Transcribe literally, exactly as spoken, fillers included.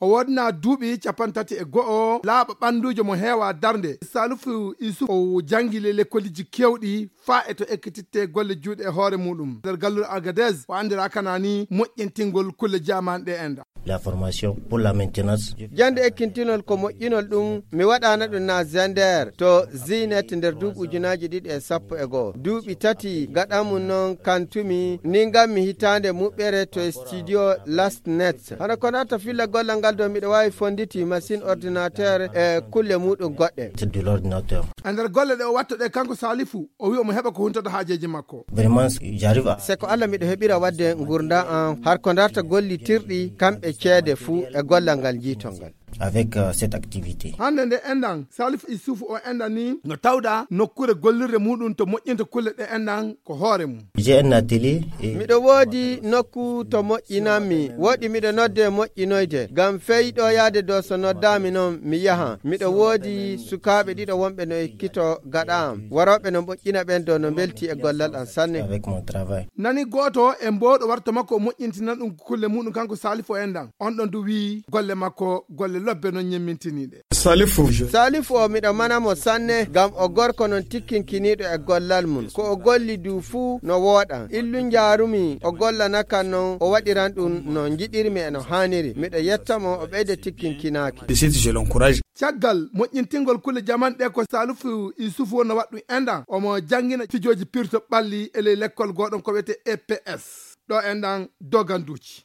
O woodnaa duuɓi cappanɗe tati e go'o, laaɓa ɓannduujo mo heewaa darnde. Salifu Isuf o janngi le lekkoliji keewɗi faa e to ekkititte golle juuɗe e hoore muuɗum. Nder galluure Agadez, o anndiraa kanani moƴƴintingol kulle jaamaane ɗe enda. La formation pour la maintenance. Jannde ekkintinol ko moƴƴinol ɗum, mi waɗaana ɗum na Zender to Zinet nder duuɓi ujunaaji ɗiɗi e sappo e go'o. Duuɓi tati gaɗa mum noon kantumi, ni ngammi hitaande muɓɓere to studio Last Net. Hano ko naata filla gollal ngal ɗo miɗo waawi fonditi machine ordinateur e kulle muuɗum goɗɗe. C'est de l'ordinateur. E nder golle ɗe o watta ɗe kanko Salifu, o wi'i omo heɓa ko huntata haajeeji makko. Vraiment, j'arrive à Se ko Allah miɗo heɓira waɗde ngurndan an har ko darta gollitirɗi kamɓe ceede fuu e gollal ngal njiitol ngal. Avec, euh, cette activité. Hannde nde enɗan, Salifu Isufu o enɗan ni no tawɗa nokkuure gollirde muuɗum to moƴƴinta kulle ɗe enɗan ko hoore mum. J'ai un atelier et Miɗo woodi nokku to moƴƴinanmi, woodi miɗo nodde moƴƴinoyde, ngam fey ɗo yaade ɗo so noddaami noon mi yaha. Miɗo woodi sukaaɓe ɗiɗo wonɓe no ekkito gaɗa am, warooɓe no moƴƴina ɓen ɗo no mbelti e gollal am sanne. Avec mon travail. Nani gooto e mbowɗo warta makko o moƴƴintina ɗum kulle muuɗum kanko Salifu o enɗan. On ɗon du wi'i golle makko golle lobbe noon ñemmintiniiɗe. Salifu. Salifu o miɗo mana mo sanne ngam o gorko noon tikkinkiniiɗo e gollal mum. Ko o golli du fuu no wooɗa. Illu njaarumi o gollana kan noon o waɗiran ɗum no njiɗirmi e no haaniri. Miɗo yetta mo o ɓeyda tikkinkinaaki. De suite, je l'encourage. Caggal moƴƴintingol kulle jaman ɗe ko Salifu Isufu wonno waɗɗum enɗan. Omo janngina fijooji pirto ɓalli e ley lekkol gooɗon ko wiyetee E P S. Ɗo enɗan doganduuji.